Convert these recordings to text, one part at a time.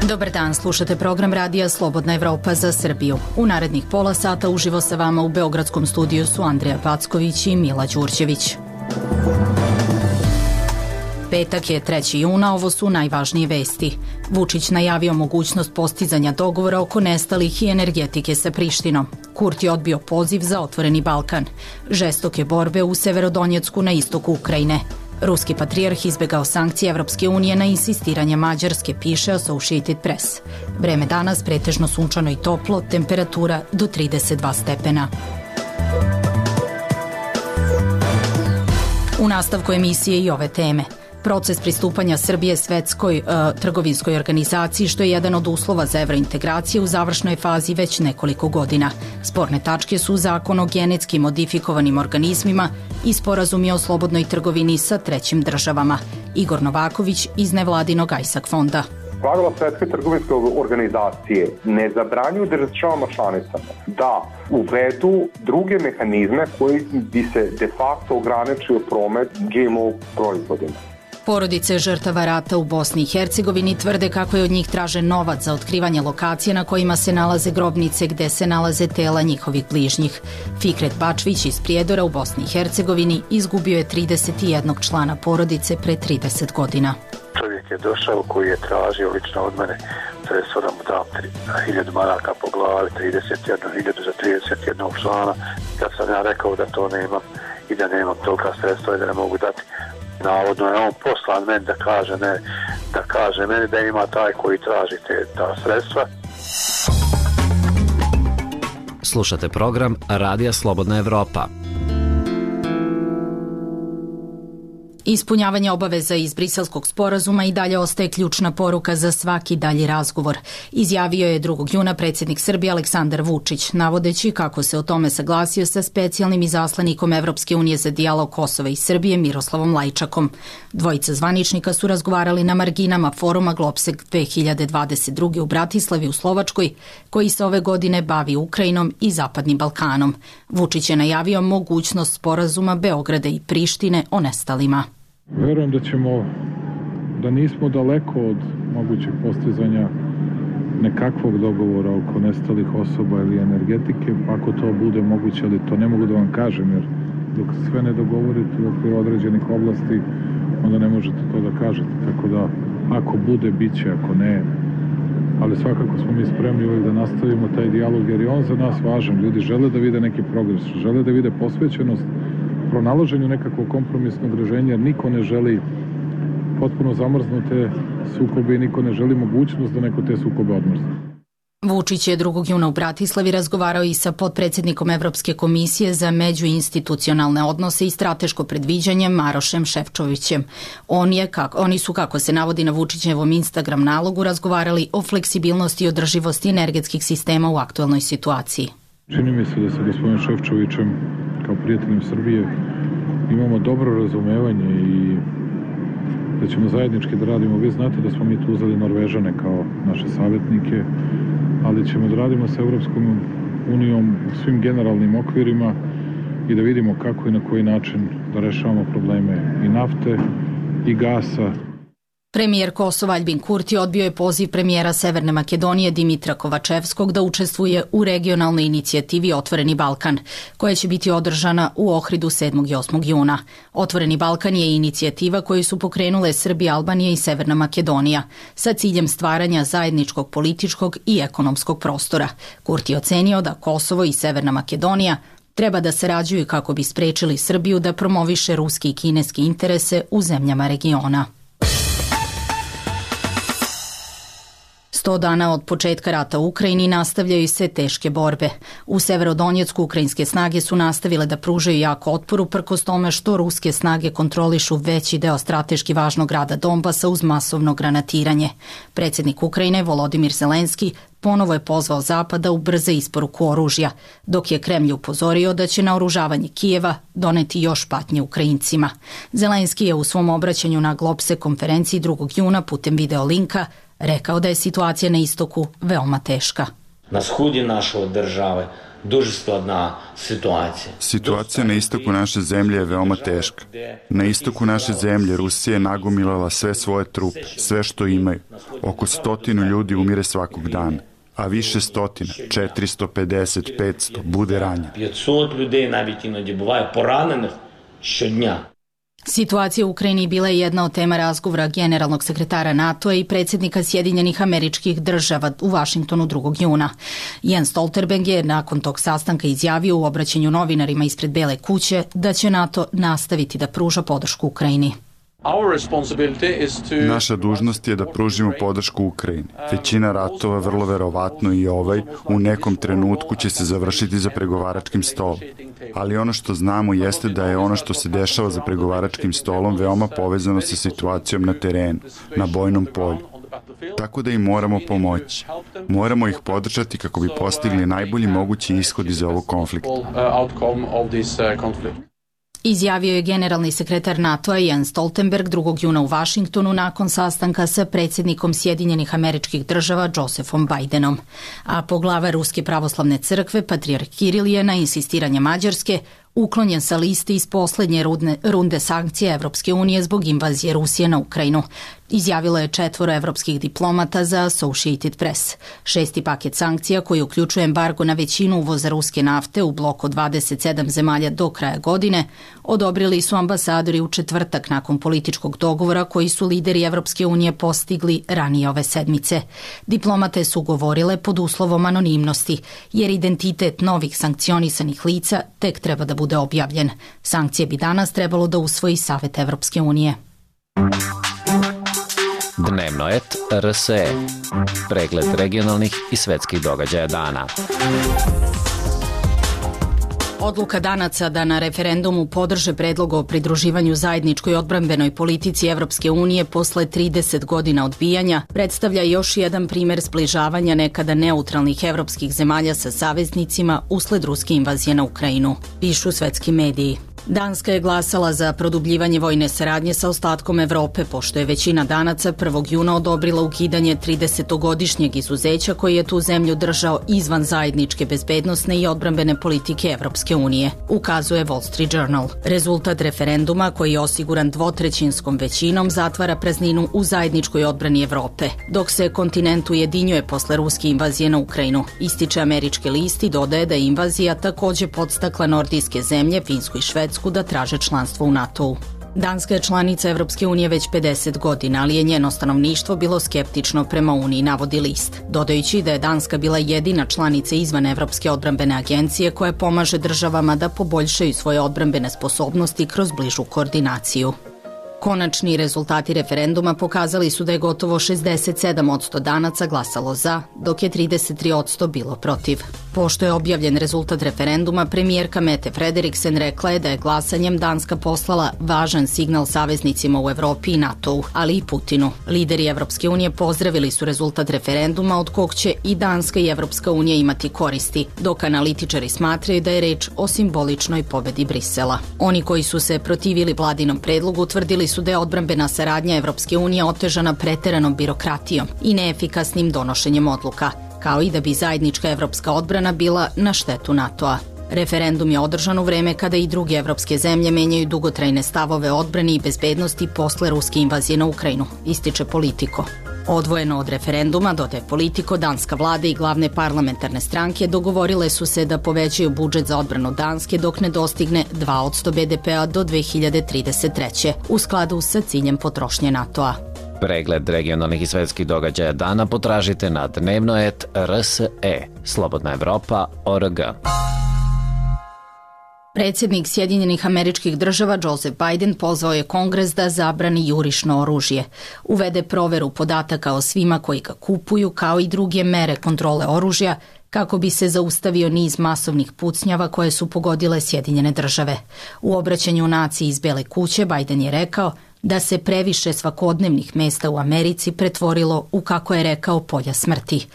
Dobar dan, slušate program radija Slobodna Evropa za Srbiju. U narednih pola sata uživo sa vama u Beogradskom studiju su Andreja Packović i Mila Đurđević. Petak je 3. juna, ovo su najvažnije vesti. Vučić najavio mogućnost postizanja dogovora oko nestalih i energetike sa Prištinom. Kurti odbio poziv za otvoreni Balkan. Žestoke borbe u Severodonjecku na istoku Ukrajine. Ruski patrijarh izbegao sankcije Evropske unije na insistiranje Mađarske, piše Associated Press. Vreme danas pretežno sunčano i toplo, temperatura do 32 stepena. U nastavku emisije i ove teme. Proces pristupanja Srbije Svetskoj trgovinskoj organizaciji, što je jedan od uslova za evrointegracije, u završnoj fazi već nekoliko godina. Sporne tačke su Zakon o genetski modifikovanim organizmima i sporazumi o slobodnoj trgovini sa trećim državama. Igor Novaković iz nevladinog ISAC fonda. Pravila Svetske trgovinske organizacije ne zabranjuju državama članicama da uvedu druge mehanizme koji bi se de facto ograničio promet GMO proizvodima. Porodice žrtava rata u Bosni i Hercegovini tvrde kako je od njih tražen novac za otkrivanje lokacije na kojima se nalaze grobnice gde se nalaze tela njihovih bližnjih. Fikret Bačvić iz Prijedora u Bosni i Hercegovini izgubio je 31 člana porodice pre 30 godina. Čovjek je došao koji je tražio lično od mene sredstvo da mu dam 1000 maraka po glavi, 31.000 za 31 člana. Kad sam ja rekao da to nemam i da nemam tolika sredstva i da ne mogu dati, navodno je on poslan meni da kaže meni da ima taj koji traži ta sredstva. Slušate program Radija Slobodna Evropa. Ispunjavanje obaveza iz Briselskog sporazuma i dalje ostaje ključna poruka za svaki dalji razgovor. Izjavio je 2. juna predsjednik Srbije Aleksandar Vučić, navodeći kako se o tome saglasio sa specijalnim izaslanikom Evropske unije za dijalog Kosova i Srbije Miroslavom Lajčakom. Dvojica zvaničnika su razgovarali na marginama foruma Globseg 2022. u Bratislavi u Slovačkoj, koji se ove godine bavi Ukrajinom i Zapadnim Balkanom. Vučić je najavio mogućnost sporazuma Beograda i Prištine o nestalima. Verujem da nismo daleko od mogućeg postizanja nekakvog dogovora oko nestalih osoba ili energetike, ako to bude moguće, ali to ne mogu da vam kažem, jer dok sve ne dogovorite u okviru određenih oblasti, onda ne možete to da kažete. Tako da, ako bude, bit će, ako ne. Ali svakako smo mi spremni uvijek da nastavimo taj dijalog, jer je on za nas važan. Ljudi žele da vide neki progres, žele da vide posvećenost pronalaženju nekakvog kompromisnog rešenja, jer niko ne želi potpuno zamrznute sukobe i niko ne želi mogućnost da neko te sukobe odmrzne. Vučić je 2. juna u Bratislavi razgovarao i sa potpredsjednikom Evropske komisije za međuinstitucionalne odnose i strateško predviđanje Marošem Šefčovićem. Oni su, kako se navodi na Vučićevom Instagram nalogu, razgovarali o fleksibilnosti i održivosti energetskih sistema u aktuelnoj situaciji. Čini mi se da sa gospodinom Šefčovićem kao prijateljem Srbije imamo dobro razumevanje i da ćemo zajednički da radimo. Vi znate da smo mi tu uzeli Norvežane kao naše savjetnike, ali ćemo da radimo sa Evropskom unijom u svim generalnim okvirima i da vidimo kako i na koji način da rešavamo probleme i nafte i gasa. Premijer Kosova Aljbin Kurti odbio je poziv premijera Severne Makedonije Dimitra Kovačevskog da učestvuje u regionalnoj inicijativi Otvoreni Balkan, koja će biti održana u Ohridu 7. i 8. juna. Otvoreni Balkan je inicijativa koju su pokrenule Srbija, Albanija i Severna Makedonija sa ciljem stvaranja zajedničkog političkog i ekonomskog prostora. Kurti ocenio da Kosovo i Severna Makedonija treba da sarađuju kako bi sprečili Srbiju da promoviše ruski i kineski interese u zemljama regiona. 100 dana od početka rata u Ukrajini nastavljaju se teške borbe. U Severodonjecku ukrajinske snage su nastavile da pružaju jak otpor uprkos tome što ruske snage kontrolišu veći deo strateški važnog grada Donbasa uz masovno granatiranje. Predsjednik Ukrajine Volodimir Zelenski ponovo je pozvao Zapad da ubrza isporuku oružja, dok je Kremlj upozorio da će naoružavanje Kijeva doneti još patnje Ukrajincima. Zelenski je u svom obraćanju na Globsek konferenciji 2. juna putem video linka rekao da je situacija na istoku veoma teška. Na sході нашої держави Дуже складна ситуація. Situacija na istoku naše zemlje je veoma teška. Na istoku naše zemlje Rusija je nagomilala sve svoje trupe, sve što imaju. Oko 100 ljudi umire svakog dana, a više stotina, 450, 500, bude ranjeno. 500 людей навіть іноді буває поранених щодня. Situacija u Ukrajini bila je jedna od tema razgovora generalnog sekretara NATO-a i predsjednika Sjedinjenih Američkih Država u Vašingtonu 2. juna. Jens Stoltenberg je nakon tog sastanka izjavio u obraćanju novinarima ispred Bele kuće da će NATO nastaviti da pruža podršku Ukrajini. Naša dužnost je da pružimo podršku Ukrajini. Većina ratova, vrlo verovatno i ovaj, u nekom trenutku će se završiti za pregovaračkim stolom. Ali ono što znamo jeste da je ono što se dešava za pregovaračkim stolom veoma povezano sa situacijom na terenu, na bojnom polju. Tako da im moramo pomoći. Moramo ih podržati kako bi postigli najbolji mogući ishod iz ovog konflikta. Izjavio je generalni sekretar NATO-a Jens Stoltenberg 2. juna u Vašingtonu nakon sastanka sa predsjednikom Sjedinjenih Američkih Država Josephom Bidenom. A poglava Ruske pravoslavne crkve, patrijarh Kiril, je na insistiranje Mađarske uklonjen sa liste iz posljednje runde sankcija Evropske unije zbog invazije Rusije na Ukrajinu. Izjavilo je 4 evropskih diplomata za Associated Press. 6. paket sankcija, koji uključuje embargo na većinu uvoza ruske nafte u bloku od 27 zemalja do kraja godine, odobrili su ambasadori u četvrtak nakon političkog dogovora koji su lideri Evropske unije postigli ranije ove sedmice. Diplomate su govorile pod uslovom anonimnosti, jer identitet novih sankcionisanih lica tek treba da bude objavljen. Sankcije bi danas trebalo da usvoji Savet Evropske unije. Dnevno et RSE. Pregled regionalnih i svetskih događaja dana. Odluka Danaca da na referendumu podrže predlog o pridruživanju zajedničkoj odbrambenoj politici Evropske unije posle 30 godina odbijanja predstavlja još jedan primer zbližavanja nekada neutralnih evropskih zemalja sa saveznicima usled ruske invazije na Ukrajinu, pišu svetski mediji. Danska je glasala za produbljivanje vojne saradnje sa ostatkom Evrope, pošto je većina Danaca 1. juna odobrila ukidanje 30-godišnjeg izuzeća koji je tu zemlju držao izvan zajedničke bezbednosne i odbrambene politike Evropske unije, ukazuje Wall Street Journal. Rezultat referenduma, koji je osiguran 2/3 većinom, zatvara prazninu u zajedničkoj odbrani Evrope, dok se kontinent ujedinjuje posle ruske invazije na Ukrajinu. Ističe američki list i dodaje da je invazija takođe podstakla nordijske zemlje, Finsku i Švedsku, da traže članstvo u NATO-u. Danska je članica Evropske unije već 50 godina, ali je njeno stanovništvo bilo skeptično prema Uniji, navodi list, dodajući da je Danska bila jedina članica izvan Evropske odbrambene agencije koja pomaže državama da poboljšaju svoje odbrambene sposobnosti kroz bližu koordinaciju. Konačni rezultati referenduma pokazali su da je gotovo 67% Danaca glasalo za, dok je 33% bilo protiv. Pošto je objavljen rezultat referenduma, premijerka Mette Frederiksen rekla je da je glasanjem Danska poslala važan signal saveznicima u Evropi i NATO-u, ali i Putinu. Lideri Evropske unije pozdravili su rezultat referenduma od kog će i Danska i Evropska unija imati koristi, dok analitičari smatraju da je reč o simboličnoj pobedi Brisela. Oni koji su se protivili vladinom predlogu tvrdili su da je odbrambena saradnja Evropske unije otežana preteranom birokratijom i neefikasnim donošenjem odluka, kao i da bi zajednička evropska odbrana bila na štetu NATO-a. Referendum je održan u vreme kada i druge evropske zemlje menjaju dugotrajne stavove odbrani i bezbednosti posle ruske invazije na Ukrajinu, ističe Politico. Odvojeno od referenduma, dodaje Politico, danska vlada i glavne parlamentarne stranke dogovorile su se da povećaju budžet za odbranu Danske dok ne dostigne 2% BDP-a do 2033. u skladu sa ciljem potrošnje NATO-a. Pregled regionalnih i svetskih događaja dana potražite na dnevnoet.rse. Slobodna Evropa.org. Predsjednik Sjedinjenih Američkih Država Joseph Biden pozvao je Kongres da zabrani jurišno oružje, uvede proveru podataka o svima koji ga kupuju, kao i druge mere kontrole oružja, kako bi se zaustavio niz masovnih pucnjava koje su pogodile Sjedinjene Države. U obraćanju naciji iz Bele kuće Biden je rekao da se previše svakodnevnih mesta u Americi pretvorilo u, kako je rekao, polja smrti.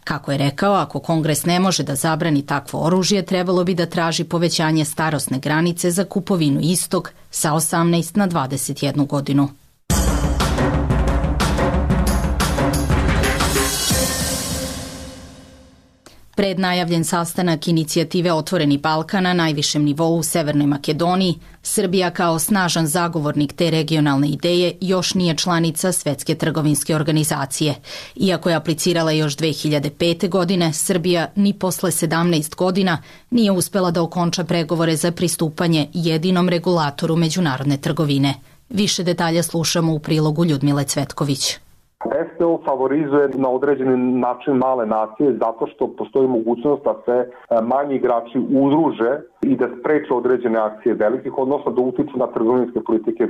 Kako je rekao, ako Kongres ne može da zabrani takvo oružje, trebalo bi da traži povećanje starosne granice za kupovinu istog sa 18 na 21 godinu. Pred najavljen sastanak inicijative Otvoreni Balkan na najvišem nivou u Severnoj Makedoniji, Srbija kao snažan zagovornik te regionalne ideje još nije članica Svetske trgovinske organizacije. Iako je aplicirala još 2005. godine, Srbija ni posle 17 godina nije uspela da okonča pregovore za pristupanje jedinom regulatoru međunarodne trgovine. Više detalja slušamo u prilogu Ljudmile Cvetković. STO favorizuje na određeni način male nacije zato što postoji mogućnost da se manji igrači udruže i da spreče određene akcije velikih, odnosno da utiču na trgovinske politike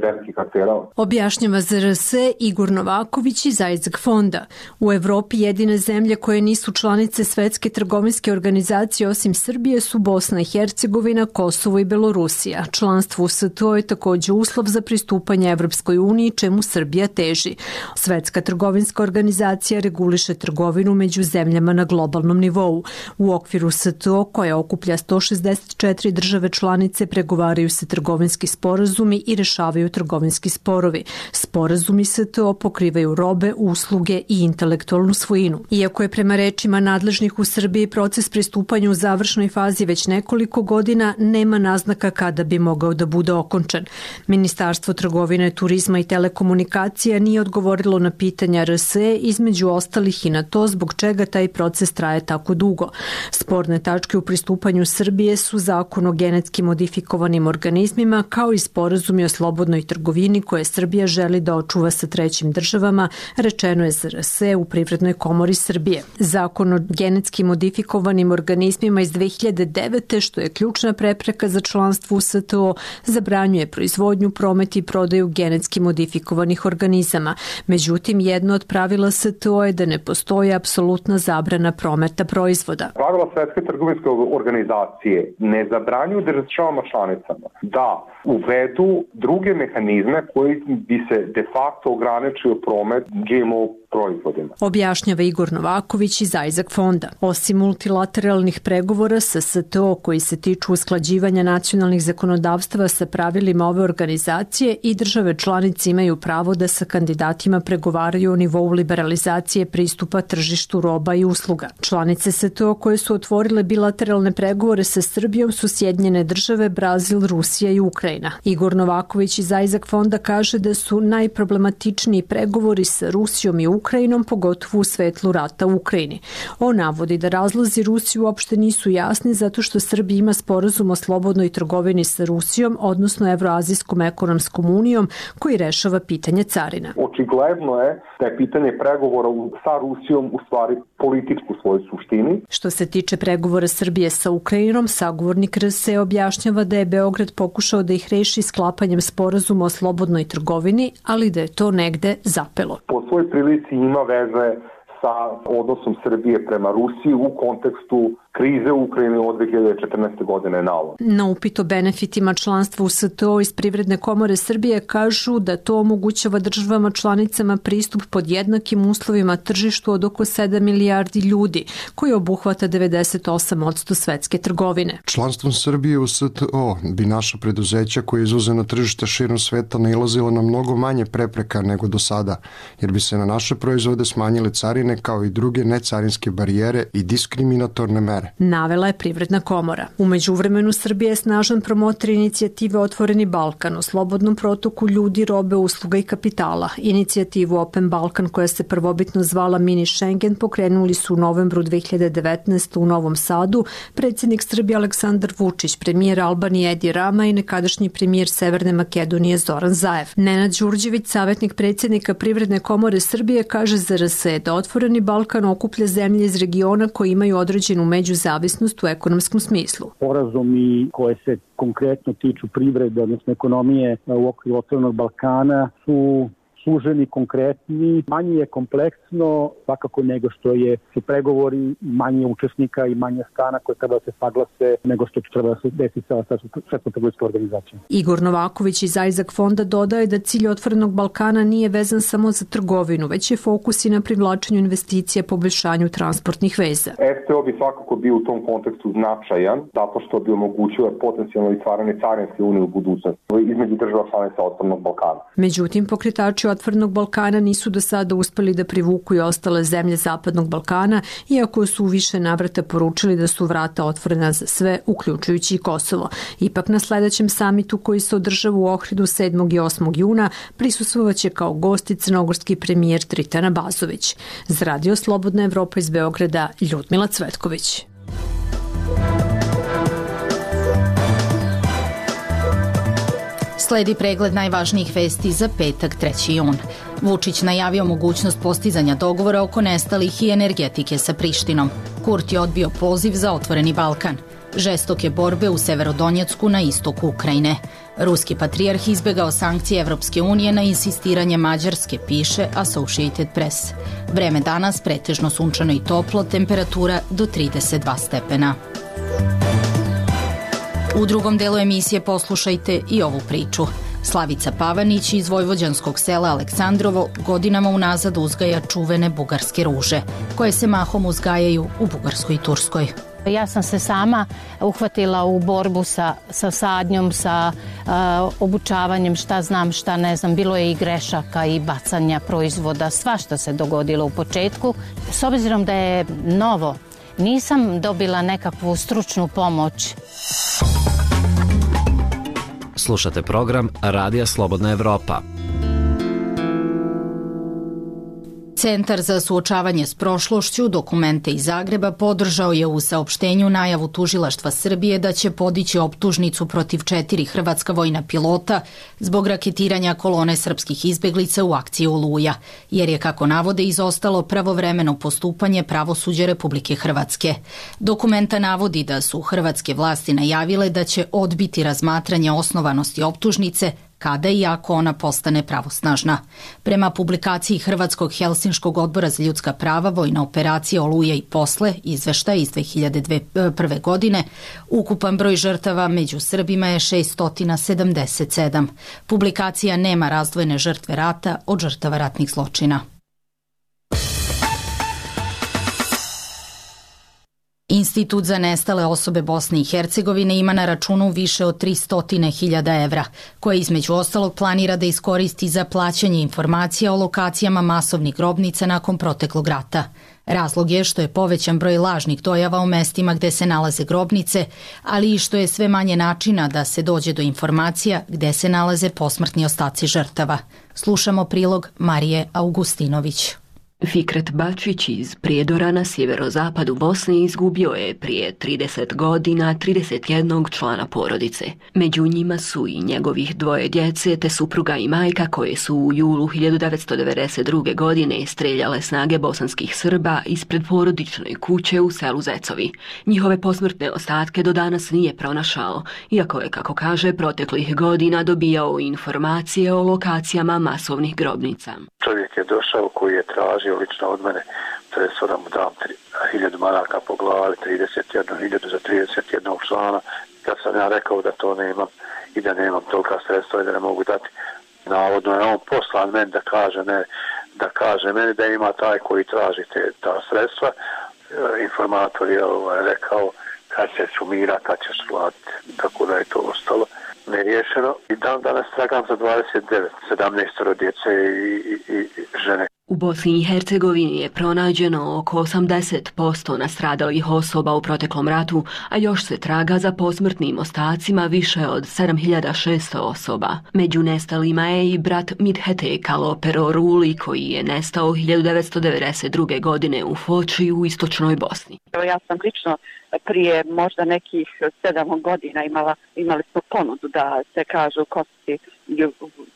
velikih aktera. Objašnjava za RS Igor Novaković iz Isaac fonda. U Evropi jedine zemlje koje nisu članice Svetske trgovinske organizacije osim Srbije su Bosna i Hercegovina, Kosovo i Belorusija. Članstvo u STO je također uslov za pristupanje Evropskoj uniji, čemu Srbija teži. Svetska trgovinska organizacija reguliše trgovinu među zemljama na globalnom nivou. U okviru STO, koja okuplja 164 države članice, pregovaraju se trgovinski sporazumi i rešavaju trgovinski sporovi. Sporazumi STO pokrivaju robe, usluge i intelektualnu svojinu. Iako je prema rečima nadležnih u Srbiji proces pristupanja u završnoj fazi već nekoliko godina, nema naznaka kada bi mogao da bude okončan. Ministarstvo trgovine, turizma i telekomunikacija nije odgovorilo na pitanja RSE, između ostalih i na to zbog čega taj proces traje tako dugo. Sporne tačke u pristupanju Srbije su zakon o genetski modifikovanim organizmima kao i sporazumi o slobodnoj trgovini koje Srbija želi da očuva sa trećim državama, rečeno je za RSE u Privrednoj komori Srbije. Zakon o genetski modifikovanim organizmima iz 2009. što je ključna prepreka za članstvo u STO, zabranjuje proizvodnju, promet i prodaju genetski modifikovanih organizama. Međutim, jedno od pravila STO je da ne postoji apsolutna zabrana prometa proizvoda. Pravila Svetske trgovinske organizacije ne zabranjuju državama članicama da uvedu druge mehanizme koji bi se de facto ograničio promet GMO proizvodima. Objašnjava Igor Novaković iz Isaac fonda. Osim multilateralnih pregovora sa STO koji se tiču usklađivanja nacionalnih zakonodavstava sa pravilima ove organizacije, i države članice imaju pravo da sa kandidatima pregovaraju o nivou liberalizacije pristupa tržištu roba i usluga. Članice STO koje su otvorile bilateralne pregovore sa Srbijom su Sjedinjene države, Brazil, Rusija i Ukrajina. Igor Novaković iz Isaac fonda kaže da su najproblematičniji pregovori sa Rusijom i Ukrajinom, pogotovo u svetlu rata u Ukrajini. On navodi da razlozi Rusije uopšte nisu jasni zato što Srbija ima sporazum o slobodnoj trgovini sa Rusijom, odnosno Evroazijskom ekonomskom unijom, koji rešava pitanje carina. Očigledno je da je pitanje pregovora sa Rusijom u stvari političku svojoj suštini. Što se tiče pregovora Srbije sa Ukrajinom, sagovornik RSE objašnjava da je Beograd pokušao da ih reši sklapanjem sporazuma o slobodnoj trgovini, ali da je to negde zapelo. Po svojoj prilici ima veze sa odnosom Srbije prema Rusiji u kontekstu krize u Ukrajini od 2014. godine na ovo. Na upit o benefitima članstva u STO iz Privredne komore Srbije kažu da to omogućava državama članicama pristup pod jednakim uslovima tržištu od oko 7 milijardi ljudi, koji obuhvata 98% svetske trgovine. Članstvom Srbije u STO bi naša preduzeća koje izvoze na tržište širom sveta nailazila na mnogo manje prepreka nego do sada, jer bi se na naše proizvode smanjile carine kao i druge necarinske barijere i diskriminatorne mere. Navela je Privredna komora. U međuvremenu Srbija je snažan promotor inicijative Otvoreni Balkan o slobodnom protoku ljudi, robe, usluga i kapitala. Inicijativu Open Balkan, koja se prvobitno zvala Mini Schengen, pokrenuli su u novembru 2019. u Novom Sadu predsjednik Srbije Aleksandar Vučić, premijer Albanije Edi Rama i nekadašnji premijer Severne Makedonije Zoran Zaev. Nenad Đurđević, savjetnik predsjednika Privredne komore Srbije, kaže za RSE da Otvoreni Balkan okuplja zemlje iz regiona koji imaju određenu međuzavisnost u ekonomskom smislu. Sporazumi koje se konkretno tiču privrede, odnosno ekonomije u okviru Otvorenog Balkana su suženi, konkretni, manje je kompleksno svakako nego što su pregovori, manje učesnika i manje strana koje treba da se saglase nego što treba da se desi sa Svetskom trgovinskom organizacijom. Igor Novaković iz Isaac fonda dodaje da cilj Otvorenog Balkana nije vezan samo za trgovinu, već je fokus i na privlačenju investicija, poboljšanju transportnih veza. STO bi svakako bio u tom kontekstu značajan, zato što bi omogućio potencijalno stvaranje carinske unije u budućnosti između država članica Otvorenog Balkana. Međutim, pokretači području Otvorenog Balkana nisu do sada uspeli da privuku i ostale zemlje Zapadnog Balkana, iako su u više navrata poručili da su vrata otvorena za sve, uključujući i Kosovo. Ipak na sledećem samitu koji se održava u Ohridu 7. i 8. juna prisustvovaće kao gost crnogorski premijer Tritana Bazović. Za Radio Slobodna Evropa iz Beograda, Ljudmila Cvetković. Sledi pregled najvažnijih vesti za petak 3. jun. Vučić najavio mogućnost postizanja dogovora oko nestalih i energetike sa Prištinom. Kurti je odbio poziv za Otvoreni Balkan. Žestoke borbe u Severodonjecku na istoku Ukrajine. Ruski patrijarh izbegao sankcije Evropske unije na insistiranje Mađarske, piše Associated Press. Vreme danas pretežno sunčano i toplo, temperatura do 32 stepena. U drugom delu emisije poslušajte i ovu priču. Slavica Pavanić iz vojvođanskog sela Aleksandrovo godinama unazad uzgaja čuvene bugarske ruže, koje se mahom uzgajaju u Bugarskoj i Turskoj. Ja sam se sama uhvatila u borbu sa sadnjom, sa obučavanjem, šta znam, šta ne znam. Bilo je i grešaka i bacanja proizvoda, svašta se dogodilo u početku. S obzirom da je novo, nisam dobila nekakvu stručnu pomoć. Slušate program Radija Slobodna Evropa. Centar za suočavanje s prošlošću Dokumente iz Zagreba podržao je u saopštenju najavu Tužilaštva Srbije da će podići optužnicu protiv 4 hrvatska vojna pilota zbog raketiranja kolone srpskih izbeglica u akciji Oluja, jer je, kako navode, izostalo pravovremeno postupanje pravosuđa Republike Hrvatske. Dokumenta navodi da su hrvatske vlasti najavile da će odbiti razmatranje osnovanosti optužnice kada i ako ona postane pravosnažna. Prema publikaciji Hrvatskog Helsinškog odbora za ljudska prava, vojna operacija Oluja i posle, izveštaj iz 2001. godine, ukupan broj žrtava među Srbima je 677. Publikacija nema razdvojene žrtve rata od žrtava ratnih zločina. Institut za nestale osobe Bosne i Hercegovine ima na računu više od 300.000 evra, koje između ostalog planira da iskoristi za plaćanje informacija o lokacijama masovnih grobnica nakon proteklog rata. Razlog je što je povećan broj lažnih dojava u mestima gde se nalaze grobnice, ali i što je sve manje načina da se dođe do informacija gde se nalaze posmrtni ostaci žrtava. Slušamo prilog Marije Augustinović. Fikret Bačić iz Prijedora na sjeverozapadu Bosne izgubio je prije 30 godina 31 člana porodice. Među njima su i njegovih 2 djece te supruga i majka koje su u julu 1992. godine streljale snage bosanskih Srba ispred porodične kuće u selu Zecovi. Njihove posmrtne ostatke do danas nije pronašao, iako je, kako kaže, proteklih godina dobijao informacije o lokacijama masovnih grobnica. Čovjek je došao koji je tražio lično od mene, to da mu dam 1000 maraka po glavi, 31.000 za 31 člana. Kad sam ja rekao da to nemam i da nemam tolika sredstva i da ne mogu dati, navodno je on poslan meni da kaže meni da ima taj koji traži ta sredstva. Informator je rekao kad se sumira, kad ćeš platiti, tako da je to ostalo neriješeno. I dan danas tragam za 29, 17 djece i žene. U Bosni i Hercegovini je pronađeno oko 80% nastradalih osoba u proteklom ratu, a još se traga za posmrtnim ostacima više od 7600 osoba. Među nestalima je i brat Midhete Kalopero Ruli, koji je nestao 1992. godine u Foči u istočnoj Bosni. Ja sam lično prije možda nekih 7 godina imali smo ponudu da se kažu kosti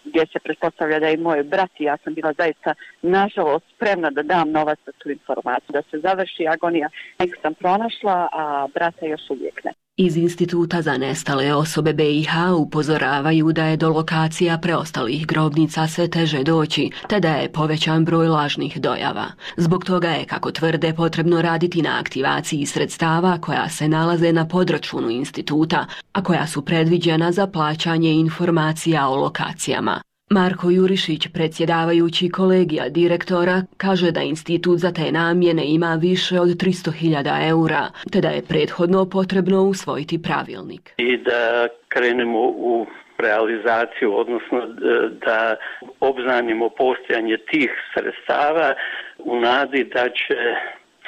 gdje se pretpostavlja da je moj brat i ja sam bila zaista nažalost spremna da dam novac za tu informaciju, da se završi agonija. Nek sam pronašla, a brata još uvijek ne. Iz Instituta za nestale osobe BiH upozoravaju da je do lokacija preostalih grobnica sve teže doći, te da je povećan broj lažnih dojava. Zbog toga je, kako tvrde, potrebno raditi na aktivaciji sredstava koja se nalaze na podračunu instituta, a koja su predviđena za plaćanje informacija o lokacijama. Marko Jurišić, predsjedavajući kolegija direktora, kaže da institut za te namjene ima više od 300.000 eura, te da je prethodno potrebno usvojiti pravilnik. I da krenemo u realizaciju, odnosno da obznanimo postojanje tih sredstava u nadi da će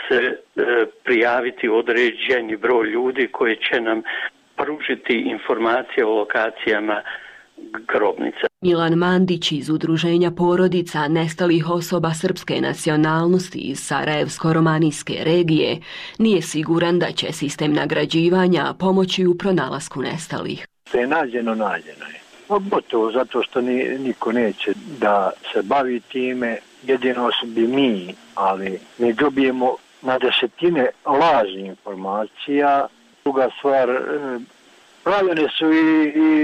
se prijaviti određeni broj ljudi koji će nam pružiti informacije o lokacijama grobnica. Milan Mandić iz Udruženja porodica nestalih osoba srpske nacionalnosti iz Sarajevsko-romanijske regije nije siguran da će sistem nagrađivanja pomoći u pronalasku nestalih. Što je nađeno je. Gotovo zato što niko neće da se bavi time, jedino bi mi, ali mi dobijemo na desetine lažnih informacija. Druga stvar, pravljene su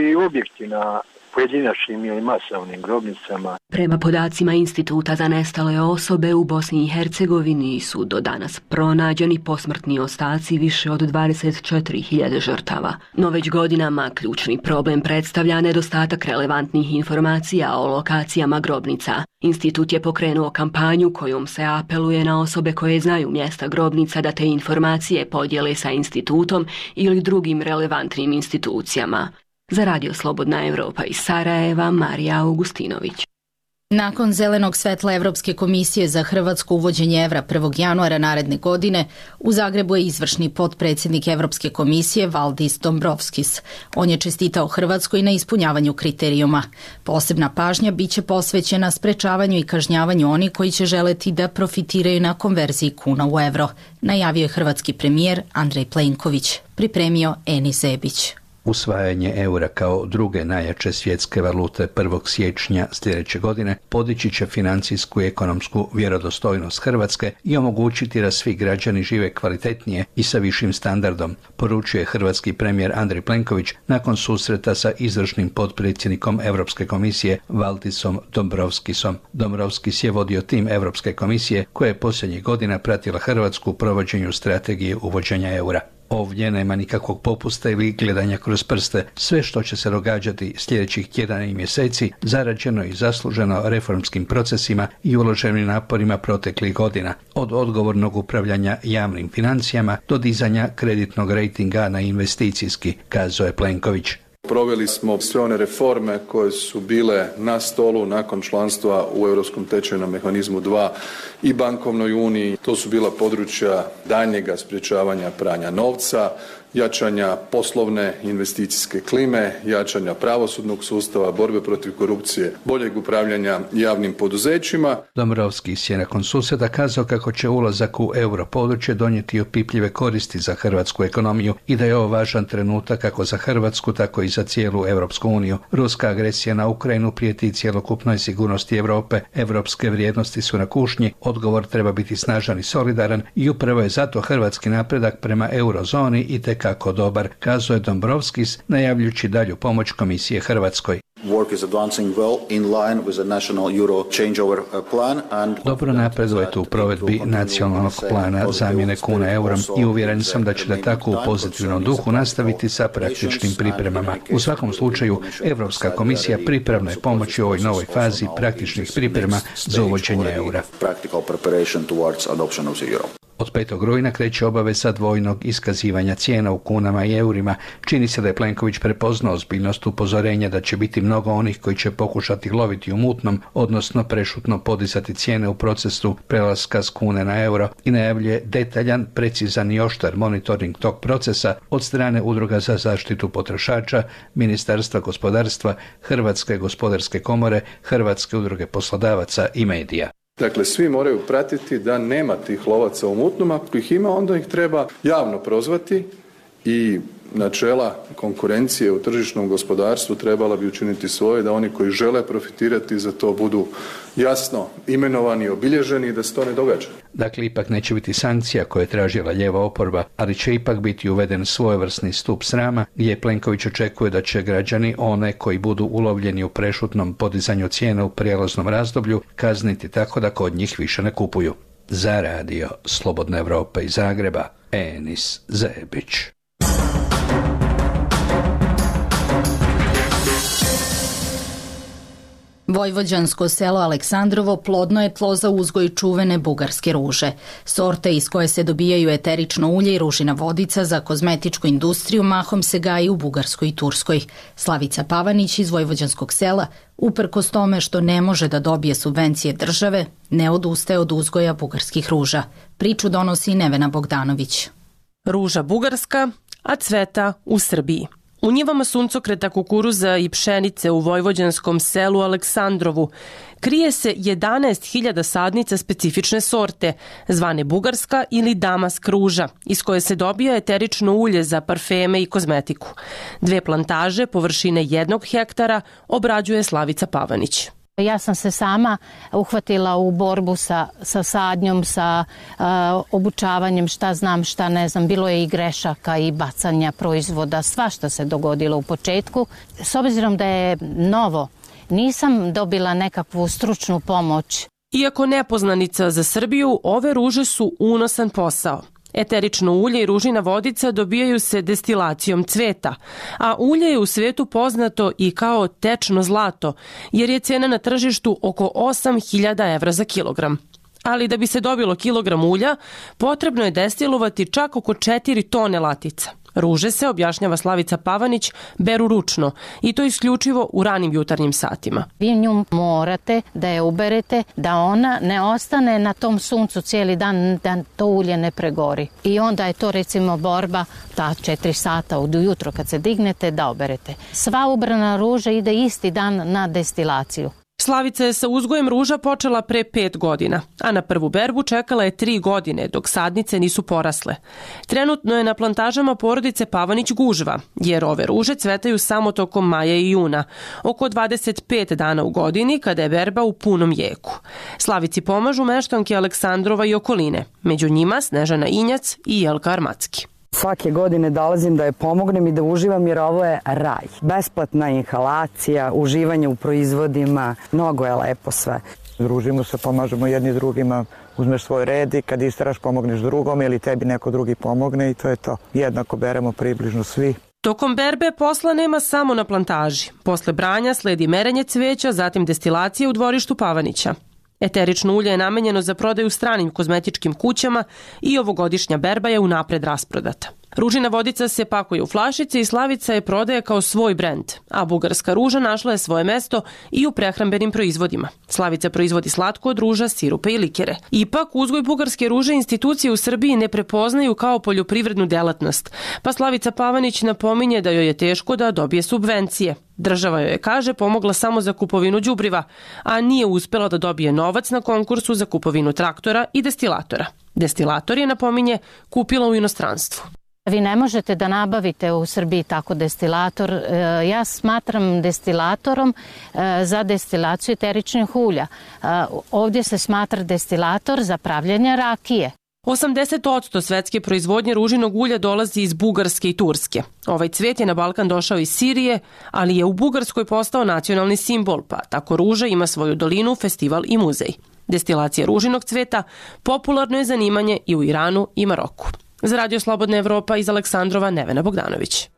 i objekti na pojedinačnim ili masovnim grobnicama. Prema podacima Instituta za nestale osobe u Bosni i Hercegovini su do danas pronađeni posmrtni ostaci više od 24.000 žrtava. No već godinama ključni problem predstavlja nedostatak relevantnih informacija o lokacijama grobnica. Institut je pokrenuo kampanju kojom se apeluje na osobe koje znaju mjesta grobnica da te informacije podijele sa institutom ili drugim relevantnim institucijama. Za Radio Slobodna Evropa iz Sarajeva, Marija Augustinović. Nakon zelenog svetla Evropske komisije za Hrvatsku uvođenje evra 1. januara naredne godine, u Zagrebu je izvršni potpredsjednik Evropske komisije Valdis Dombrovskis. On je čestitao Hrvatskoj na ispunjavanju kriterijuma. Posebna pažnja biće posvećena sprečavanju i kažnjavanju onih koji će želeti da profitiraju na konverziji kuna u evro, najavio je hrvatski premijer Andrej Plenković, pripremio Enis Zebić. Usvajanje eura kao druge najjače svjetske valute 1. siječnja sljedeće godine podići će financijsku i ekonomsku vjerodostojnost Hrvatske i omogućiti da svi građani žive kvalitetnije i sa višim standardom, poručuje hrvatski premijer Andrej Plenković nakon susreta sa izvršnim potpredsjednikom Europske komisije Valdisom Dombrovskisom. Dombrovskis je vodio tim Europske komisije koja je posljednjih godina pratila Hrvatsku u provođenju strategije uvođenja eura. Ovdje nema nikakvog popusta ili gledanja kroz prste. Sve što će se događati sljedećih tjedana i mjeseci zarađeno i zasluženo reformskim procesima i uloženim naporima proteklih godina, od odgovornog upravljanja javnim financijama do dizanja kreditnog rejtinga na investicijski, kazao je Plenković. Proveli smo sve one reforme koje su bile na stolu nakon članstva u Europskom tečajnom mehanizmu 2 i bankovnoj uniji. To su bila područja daljnjega sprječavanja pranja novca, jačanja poslovne investicijske klime, jačanja pravosudnog sustava, borbe protiv korupcije, boljeg upravljanja javnim poduzećima. Dombrovskis je nakon susreta kazao kako će ulazak u europodručje donijeti opipljive koristi za hrvatsku ekonomiju i da je ovo važan trenutak kako za Hrvatsku, tako i za cijelu Europsku uniju. Ruska agresija na Ukrajinu prijeti cjelokupnoj sigurnosti Europe. Europske vrijednosti su na kušnji, odgovor treba biti snažan i solidaran i upravo je zato hrvatski napredak prema eurozoni i kako dobar, kazao je Dombrovskis, najavljujući dalju pomoć Komisije Hrvatskoj. Dobro napredujete u provedbi nacionalnog plana zamjene kuna eurom i uvjeren sam da ćete tako u pozitivnom duhu nastaviti sa praktičnim pripremama. U svakom slučaju, Europska komisija pripravna je pomoći u ovoj novoj fazi praktičnih priprema za uvođenje eura. Od 5. rujna kreće obaveza dvojnog iskazivanja cijena u kunama i eurima. Čini se da je Plenković prepoznao ozbiljnost upozorenja da će biti mnogo onih koji će pokušati loviti u mutnom, odnosno prešutno podizati cijene u procesu prelaska s kune na euro i najavljuje detaljan, precizan i oštar monitoring tog procesa od strane Udruga za zaštitu potrošača, Ministarstva gospodarstva, Hrvatske gospodarske komore, Hrvatske udruge poslodavaca i medija. Dakle, svi moraju pratiti da nema tih lovaca u mutnom, ako ih ima onda ih treba javno prozvati i načela konkurencije u tržišnom gospodarstvu trebala bi učiniti svoje da oni koji žele profitirati za to budu jasno imenovani, obilježeni i da se to ne događa. Dakle, ipak neće biti sankcija koje je tražila lijeva oporba, ali će ipak biti uveden svojevrsni stup srama gdje Plenković očekuje da će građani one koji budu ulovljeni u prešutnom podizanju cijena u prijelaznom razdoblju kazniti tako da kod njih više ne kupuju. Za Radio Slobodna Evropa iz Zagreba, Enis Zebić. Vojvođansko selo Aleksandrovo plodno je tlo za uzgoj čuvene bugarske ruže. Sorte iz koje se dobijaju eterično ulje i ružina vodica za kozmetičku industriju mahom se gaji u Bugarskoj i Turskoj. Slavica Pavanić iz Vojvođanskog sela, uprkos tome što ne može da dobije subvencije države, ne odustaje od uzgoja bugarskih ruža. Priču donosi Nevena Bogdanović. Ruža bugarska, a cveta u Srbiji. U njivama suncokreta, kukuruza i pšenice u vojvođanskom selu Aleksandrovu krije se 11.000 sadnica specifične sorte, zvane bugarska ili damask ruža, iz koje se dobija eterično ulje za parfeme i kozmetiku. 2 plantaže površine 1 hektara obrađuje Slavica Pavanić. Ja sam se sama uhvatila u borbu sa sadnjom, sa obučavanjem, šta znam, šta ne znam. Bilo je i grešaka i bacanja proizvoda, svašta se dogodilo u početku. S obzirom da je novo, nisam dobila nekakvu stručnu pomoć. Iako nepoznanica za Srbiju, ove ruže su unosan posao. Eterično ulje i ružina vodica dobijaju se destilacijom cveta, a ulje je u svetu poznato i kao tečno zlato, jer je cena na tržištu oko 8.000 evra za kilogram. Ali da bi se dobilo kilogram ulja, potrebno je destilovati čak oko 4 tone latica. Ruže se, objašnjava Slavica Pavanić, beru ručno i to isključivo u ranim jutarnjim satima. Vi nju morate da je uberete, da ona ne ostane na tom suncu cijeli dan, da to ulje ne pregori. I onda je to recimo borba, ta 4 sata od ujutro kad se dignete da oberete. Sva ubrana ruža ide isti dan na destilaciju. Slavica je sa uzgojem ruža počela pre 5 godina, a na prvu berbu čekala je 3 godine dok sadnice nisu porasle. Trenutno je na plantažama porodice Pavanić gužva, jer ove ruže cvetaju samo tokom maja i juna, oko 25 dana u godini kada je berba u punom jeku. Slavici pomažu meštanke Aleksandrova i okoline, među njima Snežana Injac i Jelka Armacki. Svake godine dolazim da je pomognem i da uživam jer ovo je raj. Besplatna inhalacija, uživanje u proizvodima, mnogo je lepo sve. Družimo se, pomažemo jedni drugima, uzmeš svoj red i kad istaraš pomogneš drugom ili tebi neko drugi pomogne i to je to. Jednako beremo približno svi. Tokom berbe posla nema samo na plantaži. Posle branja sledi merenje cveća, zatim destilacija u dvorištu Pavanića. Eterično ulje je namenjeno za prodaju stranim kozmetičkim kućama i ovogodišnja berba je unapred rasprodata. Ružina vodica se pakuje u flašice i Slavica je prodaje kao svoj brend, a bugarska ruža našla je svoje mesto i u prehrambenim proizvodima. Slavica proizvodi slatko od ruža, sirupe i likere. Ipak, uzgoj bugarske ruže institucije u Srbiji ne prepoznaju kao poljoprivrednu delatnost, pa Slavica Pavanić napominje da joj je teško da dobije subvencije. Država joj je, kaže, pomogla samo za kupovinu đubriva, a nije uspela da dobije novac na konkursu za kupovinu traktora i destilatora. Destilator je, napominje, kupila u inostranstvu. Vi ne možete da nabavite u Srbiji tako destilator. Ja smatram destilatorom za destilaciju eteričnih ulja. Ovdje se smatra destilator za pravljenje rakije. 80% svetske proizvodnje ružinog ulja dolazi iz Bugarske i Turske. Ovaj cvet je na Balkan došao iz Sirije, ali je u Bugarskoj postao nacionalni simbol, pa tako ruža ima svoju dolinu, festival i muzej. Destilacija ružinog cveta popularno je zanimanje i u Iranu i Maroku. Za Radio Slobodna Evropa iz Aleksandrova, Nevena Bogdanović.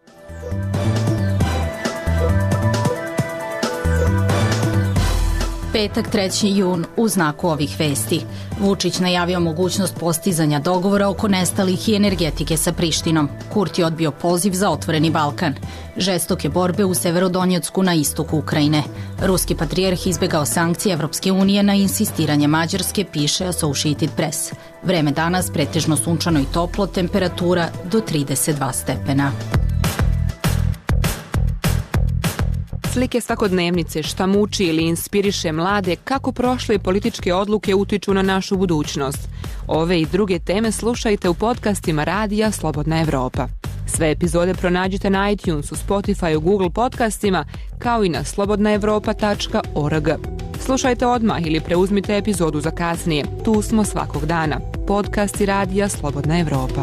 Petak 3. jun u znaku ovih vesti. Vučić najavio mogućnost postizanja dogovora oko nestalih i energetike sa Prištinom. Kurti je odbio poziv za otvoreni Balkan. Žestoke borbe u Severodonjecku na istoku Ukrajine. Ruski patrijarh izbegao sankcije Evropske unije na insistiranje Mađarske, piše Associated Press. Vreme danas pretežno sunčano i toplo, temperatura do 32 stepena. Slike svakodnevnice, šta muči ili inspiriše mlade, kako prošle političke odluke utiču na našu budućnost. Ove i druge teme slušajte u podcastima Radija Slobodna Evropa. Sve epizode pronađite na iTunesu, Spotify, Google podcastima, kao i na slobodnaevropa.org. Slušajte odmah ili preuzmite epizodu za kasnije. Tu smo svakog dana. Podcasti Radija Slobodna Evropa.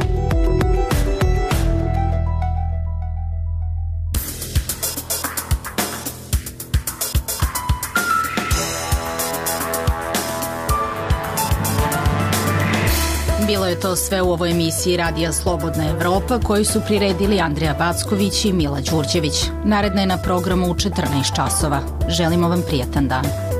Bilo je to sve u ovoj emisiji Radija Slobodna Evropa koju su priredili Andreja Backović i Mila Đurđević. Naredna je na programu u 14 časova. Želimo vam prijatan dan.